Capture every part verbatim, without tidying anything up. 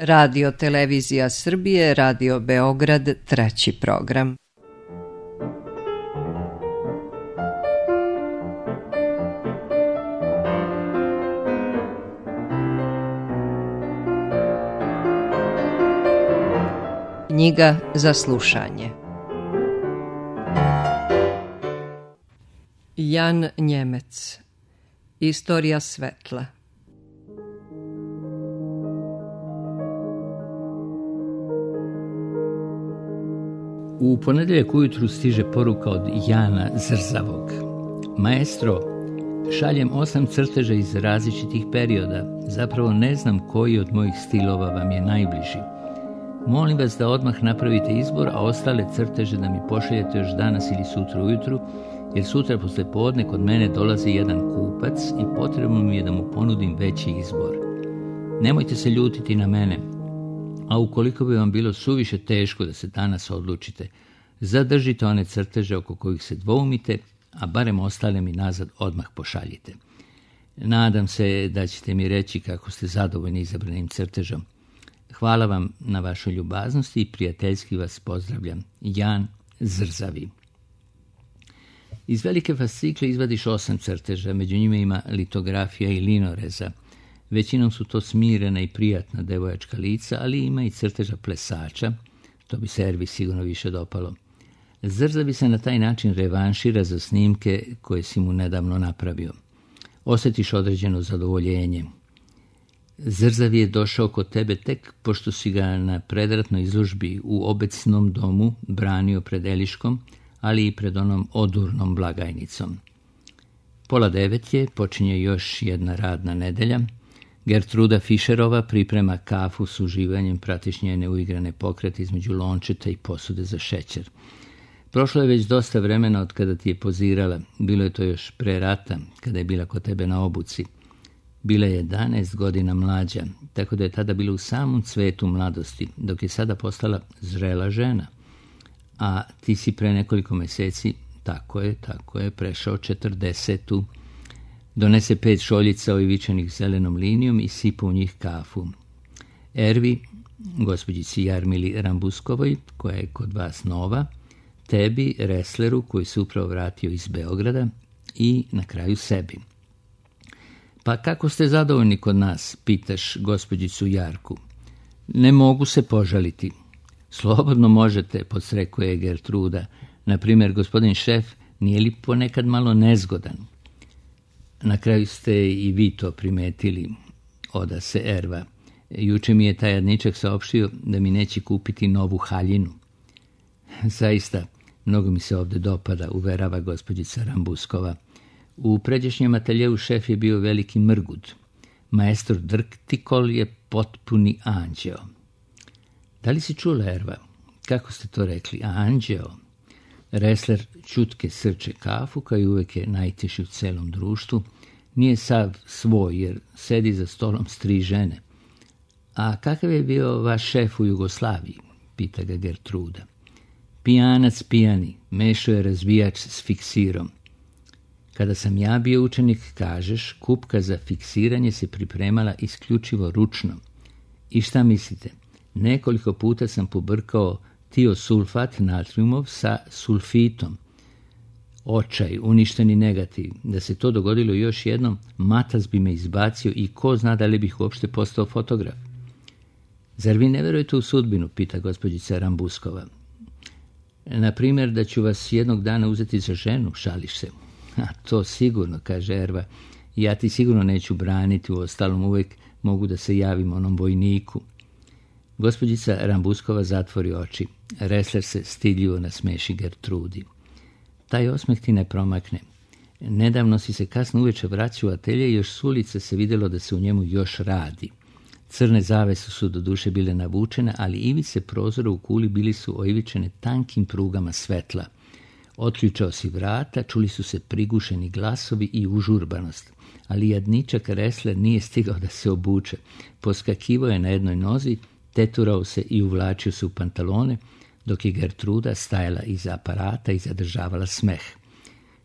Radio Televizija Srbije, Radio Beograd, treći program. Knjiga za slušanje. Jan Njemec. Istorija svetla. U ponedjeljak ujutru stiže poruka od Jana Zrzavog. Maestro, šaljem osam crteža iz različitih perioda. Zapravo ne znam koji od mojih stilova vam je najbliži. Molim vas da odmah napravite izbor, a ostale crteže da mi pošaljete još danas ili sutra ujutru, jer sutra posle podne kod mene dolazi jedan kupac i potrebno mi je da mu ponudim veći izbor. Nemojte se ljutiti na mene, a ukoliko bi vam bilo suviše teško da se danas odlučite, zadržite one crteže oko kojih se dvoumite, a barem ostale mi nazad odmah pošaljite. Nadam se da ćete mi reći kako ste zadovoljni izabranim crtežom. Hvala vam na vašoj ljubaznosti i prijateljski vas pozdravljam. Jan Zrzavi. Iz velike fascikle izvadiš osam crteža, među njima ima litografija i linoreza. Većinom su to smirena i prijatna devojačka lica, ali ima i crteža plesača, to bi se Ervi sigurno više dopalo. Zrzavi se na taj način revanšira za snimke koje si mu nedavno napravio. Osjetiš određeno zadovoljenje. Zrzavi je došao kod tebe tek pošto si ga na predratnoj izložbi u obecnom domu branio pred Eliškom, ali i pred onom odurnom blagajnicom. Pola devet je, počinje još jedna radna nedelja. Gertruda Fišerova priprema kafu s uživanjem, pratiš njene uigrane pokrete između lončeta i posude za šećer. Prošlo je već dosta vremena od kada ti je pozirala. Bilo je to još pre rata, kada je bila kod tebe na obuci. Bila je jedanaest godina mlađa, tako da je tada bila u samom cvetu mladosti, dok je sada postala zrela žena. A ti si pre nekoliko meseci, tako je, tako je, prešao četrdesetu. Donese pet šoljica oivičanih zelenom linijom i sipa u njih kafu. Ervi, gospođici Jarmili Rambuskovoj, koja je kod vas nova, tebi, Resleru, koji se upravo vratio iz Beograda, i na kraju sebi. Pa kako ste zadovoljni kod nas, pitaš gospođicu Jarku. Ne mogu se požaliti. Slobodno možete, podsrekuje Gertruda. Na primjer, gospodin šef nije li ponekad malo nezgodan? Na kraju ste i vi to primetili, oda se Erva. Juče mi je taj jadničak saopštio da mi neće kupiti novu haljinu. Zaista, mnogo mi se ovdje dopada, uverava gospođica Rambuskova. U pređašnjem ateljevu šef je bio veliki mrgud. Maestro Drktikol je potpuni anđeo. Da li si čula, Erva? Kako ste to rekli? Anđeo? Resler čutke srče kafu, kao i uvek je najteži u celom društvu. Nije sav svoj, jer sedi za stolom s tri žene. A kakav je bio vaš šef u Jugoslaviji? Pita ga Gertruda. Pijanac pijani, mešao je razbijač s fiksirom. Kada sam ja bio učenik, kažeš, kupka za fiksiranje se pripremala isključivo ručno. I šta mislite? Nekoliko puta sam pobrkao tiosulfat natriumov sa sulfitom. Očaj, uništeni negativ. Da se to dogodilo još jednom, matas bi me izbacio i ko zna da li bih uopšte postao fotograf. Zar vi ne verujete u sudbinu, pita gospođica Rambuskova. Na primjer, da ću vas jednog dana uzeti za ženu, šališ se. A to sigurno, kaže Erva. Ja ti sigurno neću braniti, u ostalom uvijek mogu da se javim onom vojniku. Gospođica Rambuskova zatvori oči. Resler se stidljivo nasmeši Gertrudi. Taj osmeh ti ne promakne. Nedavno si se kasno uveče vraćao u atelje i još s ulice se vidjelo da se u njemu još radi. Crne zavese su do duše bile navučene, ali ivice prozora u kuli bili su oivičene tankim prugama svetla. Otključao si vrata, čuli su se prigušeni glasovi i užurbanost, ali jadničak Resler nije stigao da se obuče. Poskakivao je na jednoj nozi, teturao se i uvlačio se u pantalone, dok je Gertruda stajala iza aparata i zadržavala smeh.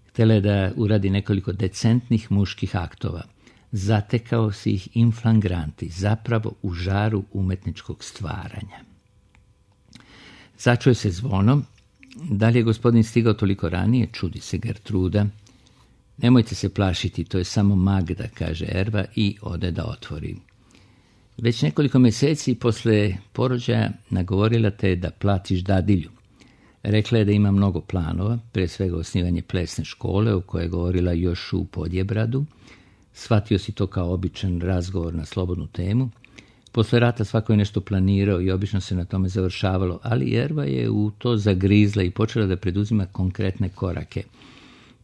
Htjela je da uradi nekoliko decentnih muških aktova. zatekao si ih in flagranti, zapravo u žaru umetničkog stvaranja. Začuje se zvonom. Da li je gospodin stigao toliko ranije, čudi se Gertruda. Nemojte se plašiti, to je samo Magda, kaže Erva i ode da otvori. Već nekoliko mjeseci posle porođaja nagovorila te da platiš dadilju. Rekla je da ima mnogo planova, pre svega osnivanje plesne škole, o kojoj je govorila još u Podjebradu. Shvatio si to kao običan razgovor na slobodnu temu. Posle rata svako je nešto planirao i obično se na tome završavalo, ali Erva je u to zagrizla i počela da preduzima konkretne korake.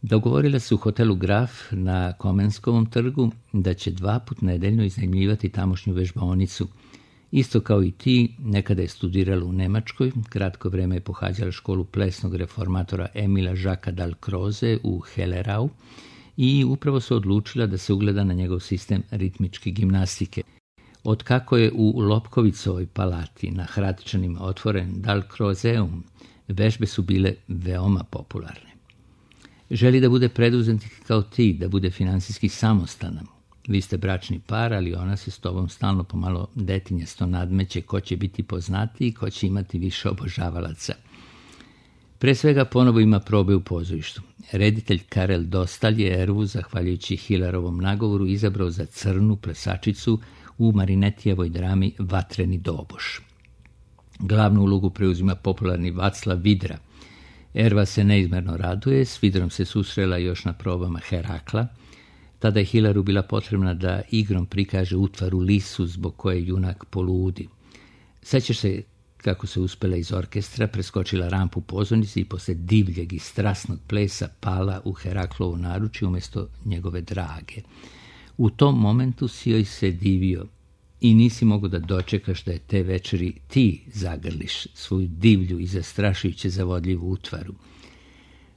Dogovorila se u hotelu Graf na Komenskovom trgu da će dva put nedeljno iznajmljivati tamošnju vežbaonicu. Isto kao i ti, nekada je studirala u Nemačkoj, kratko vreme je pohađala školu plesnog reformatora Emila Žaka Dalcroze u Hellerau i upravo se odlučila da se ugleda na njegov sistem ritmičke gimnastike. Otkako je u Lopkovicovoj palati na Hratičanima otvoren Dalcrozeum, vežbe su bile veoma popularne. Želi da bude preduzetnik kao ti, da bude finansijski samostalan. Vi ste bračni par, ali ona se s tobom stalno pomalo detinjasto nadmeće ko će biti poznatiji i ko će imati više obožavalaca. Pre svega ponovo ima probe u pozorištu. Reditelj Karel Dostal je Ervu, zahvaljujući Hilarovom nagovoru, izabrao za crnu plesačicu u Marinetijevoj drami Vatreni doboš. Glavnu ulogu preuzima popularni Vaclav Vidra. Erva se neizmerno raduje, s Vidrom se susrela još na probama Herakla. Tada je Hilaru bila potrebna da igrom prikaže utvaru lisu zbog koje junak poludi. Sećaš se kako se uspela iz orkestra, preskočila rampu u pozornici i posle divljeg i strasnog plesa pala u Heraklovo naručje umjesto njegove drage. U tom momentu si joj se divio i nisi mogao da dočekaš da je te večeri ti zagrliš svoju divlju i zastrašujuće zavodljivu utvaru.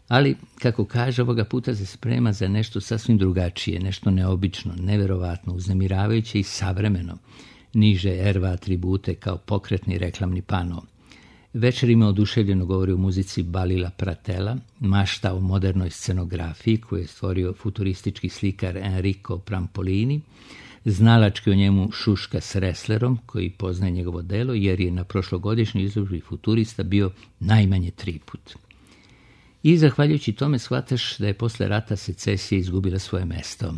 Ali, kako kaže, ovoga puta se sprema za nešto sasvim drugačije, nešto neobično, neverovatno, uznemiravajuće i savremeno. Niže Erva atribute kao pokretni reklamni pano. Večer ima oduševljeno govori o muzici Balila Pratela, mašta o modernoj scenografiji koju je stvorio futuristički slikar Enrico Prampolini, znalački o njemu šuška s Resslerom, koji poznaje njegovo delo, jer je na prošlogodišnjoj izložbi futurista bio najmanje tri put. I zahvaljujući tome shvataš da je posle rata secesija izgubila svoje mesto.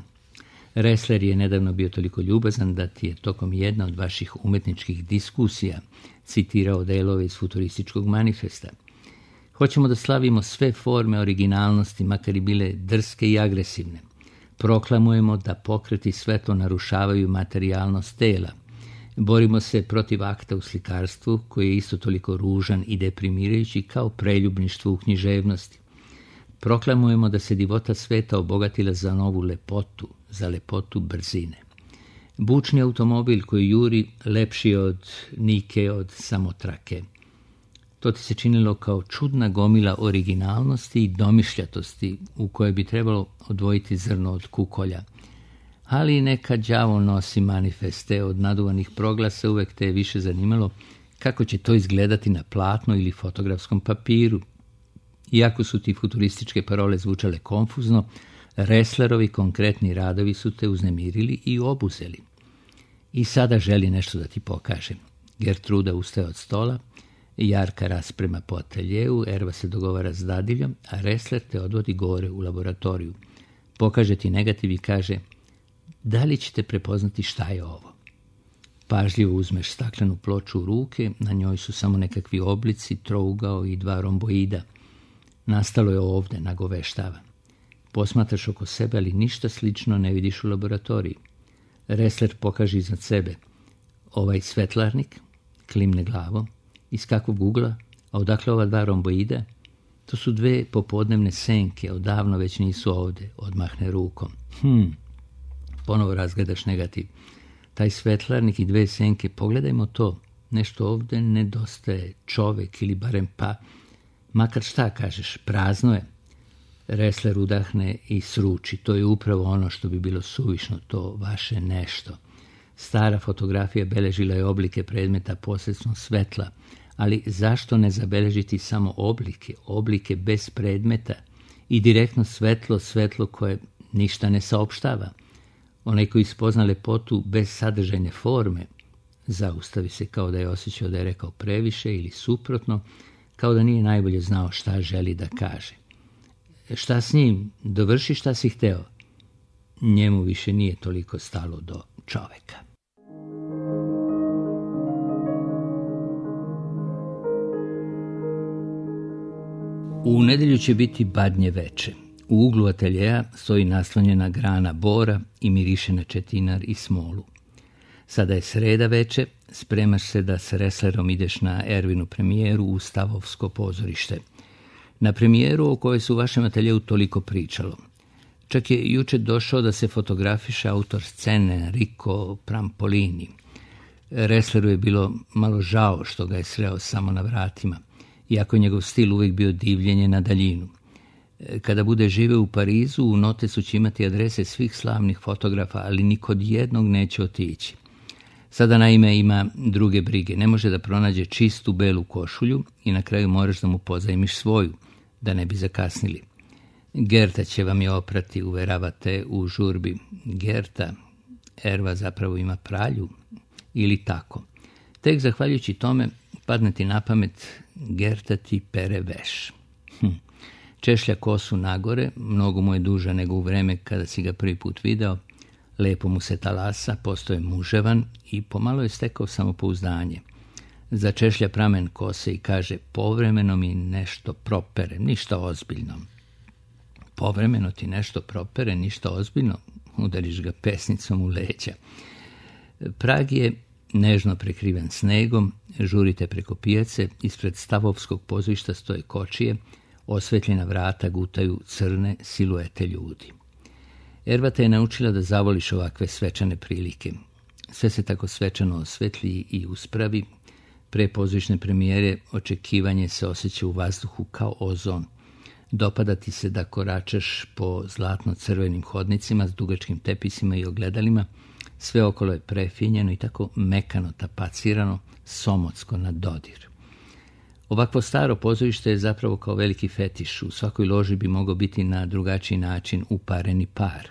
Ressler je nedavno bio toliko ljubazan da ti je tokom jedna od vaših umetničkih diskusija citirao delove iz futurističkog manifesta. Hoćemo da slavimo sve forme originalnosti, makar i bile drske i agresivne. Proklamujemo da pokret i svetlo narušavaju materijalnost tela. Borimo se protiv akta u slikarstvu, koji je isto toliko ružan i deprimirajući kao preljubništvo u književnosti. Proklamujemo da se divota sveta obogatila za novu lepotu, za lepotu brzine. Bučni automobil koji juri lepši od Nike, od samotrake. To ti se činilo kao čudna gomila originalnosti i domišljatosti u kojoj bi trebalo odvojiti zrno od kukolja. Ali neka đavo nosi manifeste od naduvanih proglasa, uvek te je više zanimalo kako će to izgledati na platnu ili fotografskom papiru. Iako su ti futurističke parole zvučale konfuzno, Resslerovi konkretni radovi su te uznemirili i obuzeli. I sada želi nešto da ti pokaže. Gertruda ustaje od stola, Jarka rasprema po ateljeu, Erva se dogovara s dadiljom, a Ressler te odvodi gore u laboratoriju. Pokaže ti negativ i kaže: da li ćete prepoznati šta je ovo? Pažljivo uzmeš staklenu ploču u ruke, na njoj su samo nekakvi oblici, trougao i dva romboida. Nastalo je ovde, nagoveštava. Posmatraš oko sebe, ali ništa slično ne vidiš u laboratoriji. Ressler pokaže iznad sebe: ovaj svetlarnik, klimne glavom, iz kakvog ugla, a odakle ova dva romboida? To su dve popodnevne senke, odavno već nisu ovde, odmahne rukom. Hm, ponovo razgledaš negativ. Taj svetlarnik i dve senke, pogledajmo to, nešto ovde nedostaje, čovek ili barem pa, makar šta kažeš, prazno je. Ressler udahne i sruči, to je upravo ono što bi bilo suvišno, to vaše nešto. Stara fotografija beležila je oblike predmeta posredstvom svetla, ali zašto ne zabeležiti samo oblike, oblike bez predmeta i direktno svetlo, svetlo koje ništa ne saopštava? Onaj koji spozna lepotu bez sadržajne forme, zaustavi se kao da je osjećao da je rekao previše ili suprotno, kao da nije najbolje znao šta želi da kaže. Šta s njim? Dovrši šta si hteo. Njemu više nije toliko stalo do čoveka. U nedjelju će biti badnje veče. U uglu ateljeja stoji naslonjena grana bora i miriše na četinar i smolu. Sada je sreda veče, spremaš se da s Resslerom ideš na Ervinu premijeru u Stavovsko pozorište. Na premijeru o kojoj se u vašem ateljeju toliko pričalo. Čak je juče došao da se fotografiše autor scene Enrico Prampolini. Ressleru je bilo malo žao što ga je sreo samo na vratima, iako je njegov stil uvijek bio divljenje na daljinu. Kada bude živeo u Parizu, u notesu će imati adrese svih slavnih fotografa, ali ni kod jednog neće otići. Sada naime ima druge brige. Ne može da pronađe čistu belu košulju i na kraju moraš da mu pozajmiš svoju, da ne bi zakasnili. Gerta će vam je oprati, uveravate u žurbi. Gerta, Erva zapravo ima pralju ili tako. Tek zahvaljujući tome padne ti na pamet Gerta ti pere veš. Hm. Češlja kosu nagore, mnogo mu je duža nego u vreme kada si ga prvi put video, lepo mu se talasa, postoje muževan i pomalo je stekao samopouzdanje. Začešlja pramen kose i kaže, povremeno mi nešto propere, ništa ozbiljno. Povremeno ti nešto propere, ništa ozbiljno, udariš ga pesnicom u leđa. Prag je nežno prekriven snegom, žurite preko pijace, ispred Stavovskog pozorišta stoje kočije, osvetljena vrata gutaju crne siluete ljudi. Erva te je naučila da zavoliš ovakve svečane prilike. Sve se tako svečano osvetlji i uspravi. Pre pozorišne premijere očekivanje se osjeća u vazduhu kao ozon. Dopada ti se da koračaš po zlatno-crvenim hodnicima s dugačkim tepisima i ogledalima. Sve okolo je prefinjeno i tako mekano tapacirano, somotsko na dodir. Ovakvo staro pozorište je zapravo kao veliki fetiš. U svakoj loži bi mogao biti na drugačiji način upareni par.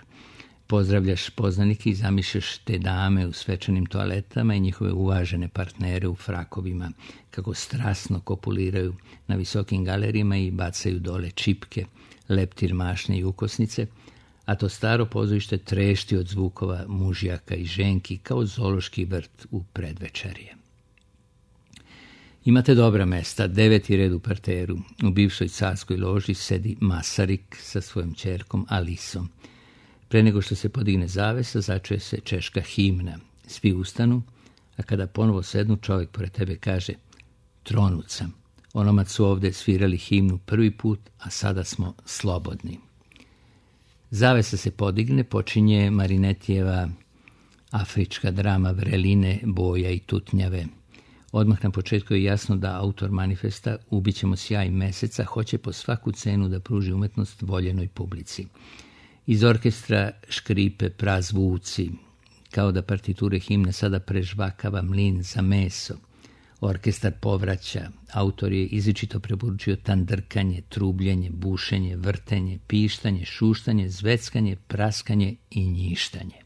Pozdravljaš poznanike i zamišljaš te dame u svečanim toaletama i njihove uvažene partnere u frakovima, kako strasno kopuliraju na visokim galerijama i bacaju dole čipke, leptir, mašnje i ukosnice, a to staro pozorište trešti od zvukova mužjaka i ženki kao zoološki vrt u predvečerje. Imate dobra mesta, deveti red u parteru. U bivšoj carskoj loži sedi Masarik sa svojom ćerkom Alisom. Pre nego što se podigne zavesa, začuje se češka himna. Svi ustanu, a kada ponovo sednu, čovjek pored tebe kaže, tronut sam. Onomad su ovdje svirali himnu prvi put, a sada smo slobodni. Zavesa se podigne, počinje Marinetijeva afrička drama Vreline, boja i tutnjave. Odmah na početku je jasno da autor manifesta Ubit ćemo sjaj meseca hoće po svaku cenu da pruži umetnost voljenoj publici. Iz orkestra škripe prazvuci, kao da partiture himne sada prežvakava mlin za meso. Orkestar povraća, autor je izričito preporučio tandrkanje, trubljenje, bušenje, vrtenje, pištanje, šuštanje, zveckanje, praskanje i njištanje.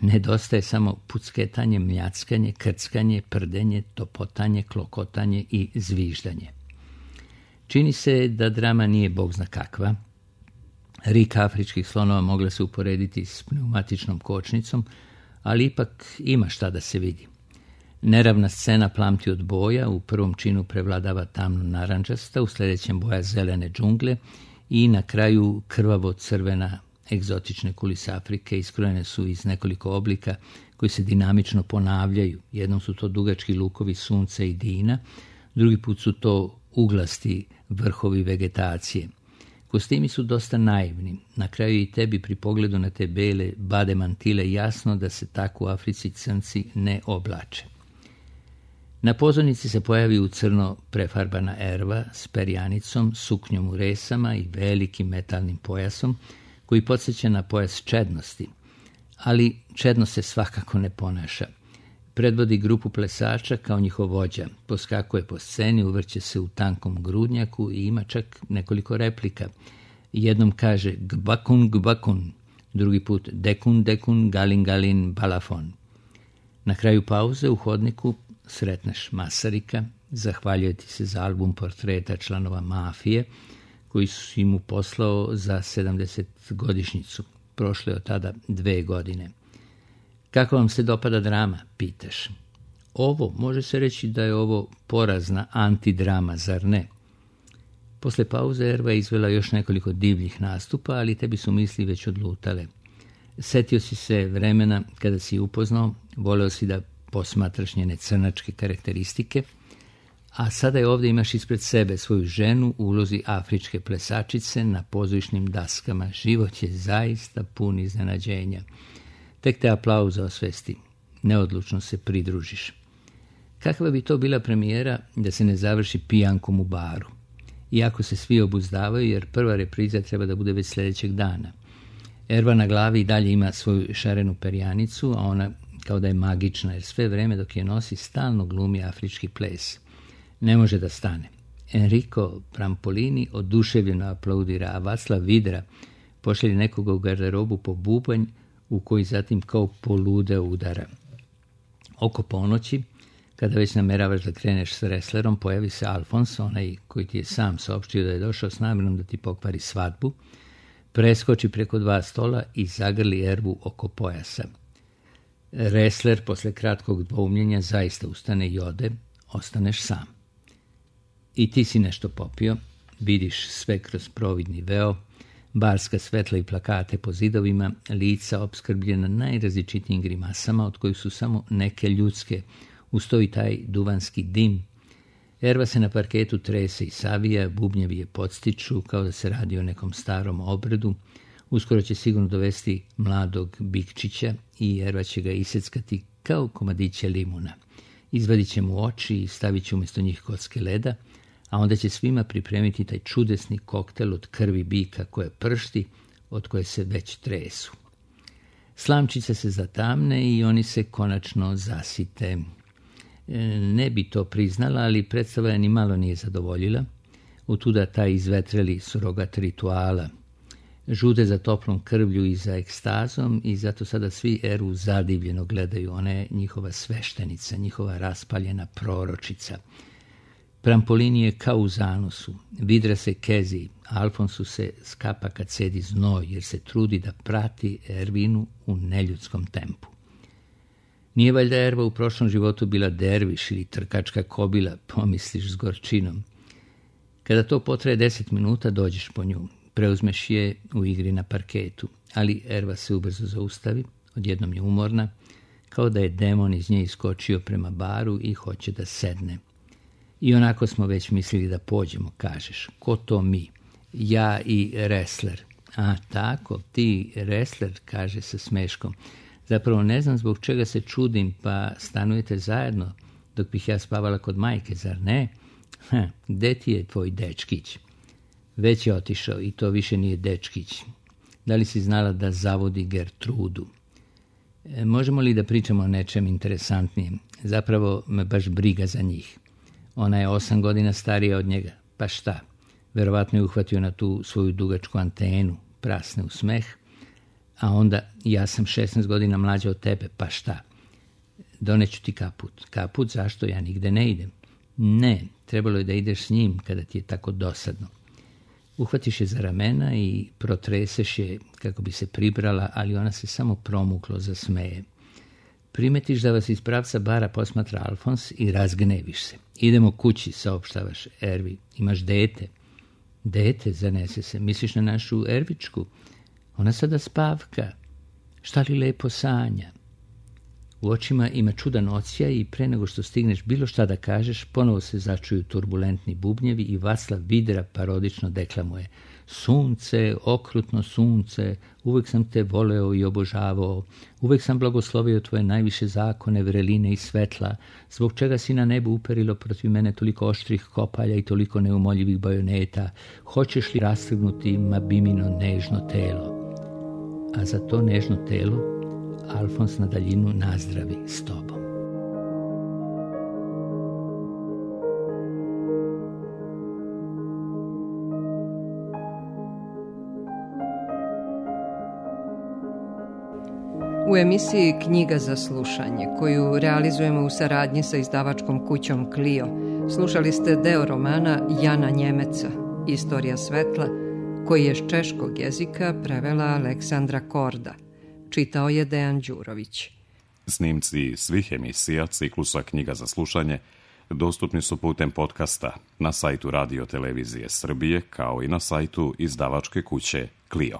Nedostaje samo pucketanje, mljackanje, krckanje, prdenje, topotanje, klokotanje i zviždanje. Čini se da drama nije bog zna kakva. Rik afričkih slonova mogla se uporediti s pneumatičnom kočnicom, ali ipak ima šta da se vidi. Neravna scena plamti od boja, u prvom činu prevladava tamno narančasta, u sljedećem boja zelene džungle i na kraju krvavo crvena. Egzotične kulise Afrike iskrojene su iz nekoliko oblika koji se dinamično ponavljaju. Jednom su to dugački lukovi sunca i dina, drugi put su to uglasti vrhovi vegetacije. Kostimi su dosta naivni. Na kraju i tebi pri pogledu na te bele bade mantile jasno da se tako u Africi crnci ne oblače. Na pozornici se pojavi u crno prefarbana Erva s perjanicom, suknjom u resama i velikim metalnim pojasom, koji podsjeća na pojas čednosti, ali čednost se svakako ne ponaša. Predvodi grupu plesača kao njihov vođa, poskakuje po sceni, uvrće se u tankom grudnjaku i ima čak nekoliko replika. Jednom kaže gbakun, gbakun, drugi put dekun, dekun, galin, galin, balafon. Na kraju pauze u hodniku sretneš Masarika, zahvaljuje ti se za album portreta članova mafije koji si mu poslao za sedamdesetogodišnjicu. Prošlo je od tada dve godine. Kako vam se dopada drama, pitaš. Ovo, može se reći da je ovo porazna antidrama, zar ne? Posle pauze Erva je izvela još nekoliko divljih nastupa, ali tebi su misli već odlutale. Setio si se vremena kada si upoznao, voleo si da posmatraš njene crnačke karakteristike, a sada je ovdje imaš ispred sebe svoju ženu u ulozi afričke plesačice na pozorišnim daskama. Život je zaista pun iznenađenja. Tek te aplauza osvesti. Neodlučno se pridružiš. Kakva bi to bila premijera da se ne završi pijankom u baru? Iako se svi obuzdavaju jer prva repriza treba da bude već sljedećeg dana. Erva na glavi i dalje ima svoju šarenu perjanicu, a ona kao da je magična jer sve vreme dok je nosi stalno glumi afrički ples. Ne može da stane. Enrico Prampolini oduševljeno aplaudira, a Vaclav Vidra pošalje nekoga u garderobu po bubanj u koji zatim kao poludeo udara. Oko ponoći, kada već nameravaš da kreneš s wrestlerom, pojavi se Alfons, onaj koji ti je sam saopštio da je došao s namjerom da ti pokvari svadbu, preskoči preko dva stola i zagrli Ervu oko pojasa. Wrestler posle kratkog dvoumljenja zaista ustane i ode, ostaneš sam. I ti si nešto popio, vidiš sve kroz providni veo, barska svetla i plakate po zidovima, lica opskrbljena najrazličitijim grimasama, od kojih su samo neke ljudske, ustoji taj duvanski dim. Erva se na parketu trese i savija, bubnjevi je podstiču kao da se radi o nekom starom obredu. Uskoro će sigurno dovesti mladog Bikčića i Erva će ga iseckati kao komadiće limuna. Izvadit će mu oči i stavit će umjesto njih kocke leda, a onda će svima pripremiti taj čudesni koktel od krvi bika koje pršti, od koje se već tresu. Slamčice se zatamne i oni se konačno zasite. Ne bi to priznala, ali predstava je ni malo nije zadovoljila. Otuda taj izvetreli surogat rituala. Žude za toplom krvlju i za ekstazom i zato sada svi Ervu zadivljeno gledaju. Ona je njihova sveštenica, njihova raspaljena proročica. Prampolini je kao u zanosu, Vidra se kezi, Alfonsu se skapa kad sedi znoj jer se trudi da prati Ervinu u neljudskom tempu. Nije valjda Erva u prošlom životu bila derviš ili trkačka kobila, pomisliš s gorčinom. Kada to potraje deset minuta, dođeš po nju, preuzmeš je u igri na parketu, ali Erva se ubrzo zaustavi, odjednom je umorna, kao da je demon iz nje iskočio prema baru i hoće da sedne. I onako smo već mislili da pođemo, kažeš. Ko to mi? Ja i wrestler. A tako, ti wrestler, kaže sa smeškom. Zapravo ne znam zbog čega se čudim, pa stanujete zajedno, dok bih ja spavala kod majke, zar ne? Ha, gde ti je tvoj dečkić? Već je otišao i to više nije dečkić. Da li si znala da zavodi Gertrudu? E, možemo li da pričamo o nečem interesantnijem? Zapravo me baš briga za njih. Ona je osam godina starija od njega. Pa šta? Verovatno je uhvatio na tu svoju dugačku antenu, prasne u smeh. A onda, ja sam šesnaest godina mlađa od tebe, pa šta? Doneću ti kaput. Kaput? Zašto? Ja nigde ne idem. Ne, trebalo je da ideš s njim kada ti je tako dosadno. Uhvatiš je za ramena i protreseš je kako bi se pribrala, ali ona se samo promuklo zasmeje. Primetiš da vas iz pravca bara posmatra Alfons i razgneviš se. Idemo kući, saopštavaš Ervi. Imaš dete. Dete, zanese se. Misliš na našu Ervičku? Ona sada spavka. Šta li lepo sanja? U očima ima čudan odsjaj i pre nego što stigneš bilo šta da kažeš, ponovo se začuju turbulentni bubnjevi i Vaclav Vidra parodično deklamuje. Sunce, okrutno sunce, uvek sam te voleo i obožavao, uvek sam blagoslovio tvoje najviše zakone, vreline i svetla, zbog čega si na nebu uperilo protiv mene toliko oštrih kopalja i toliko neumoljivih bajoneta, hoćeš li rastrgnuti Mabimino nežno telo? A za to nežno telo Alfons na daljinu nazdravi s tobom. U emisiji Knjiga za slušanje, koju realizujemo u saradnji sa izdavačkom kućom Clio, slušali ste deo romana Jana Njemeca, Istorija svetla, koji je s češkog jezika prevela Aleksandra Korda. Čitao je Dejan Đurović. Snimci svih emisija ciklusa Knjiga za slušanje dostupni su putem podcasta na sajtu Radio Televizije Srbije, kao i na sajtu izdavačke kuće Clio.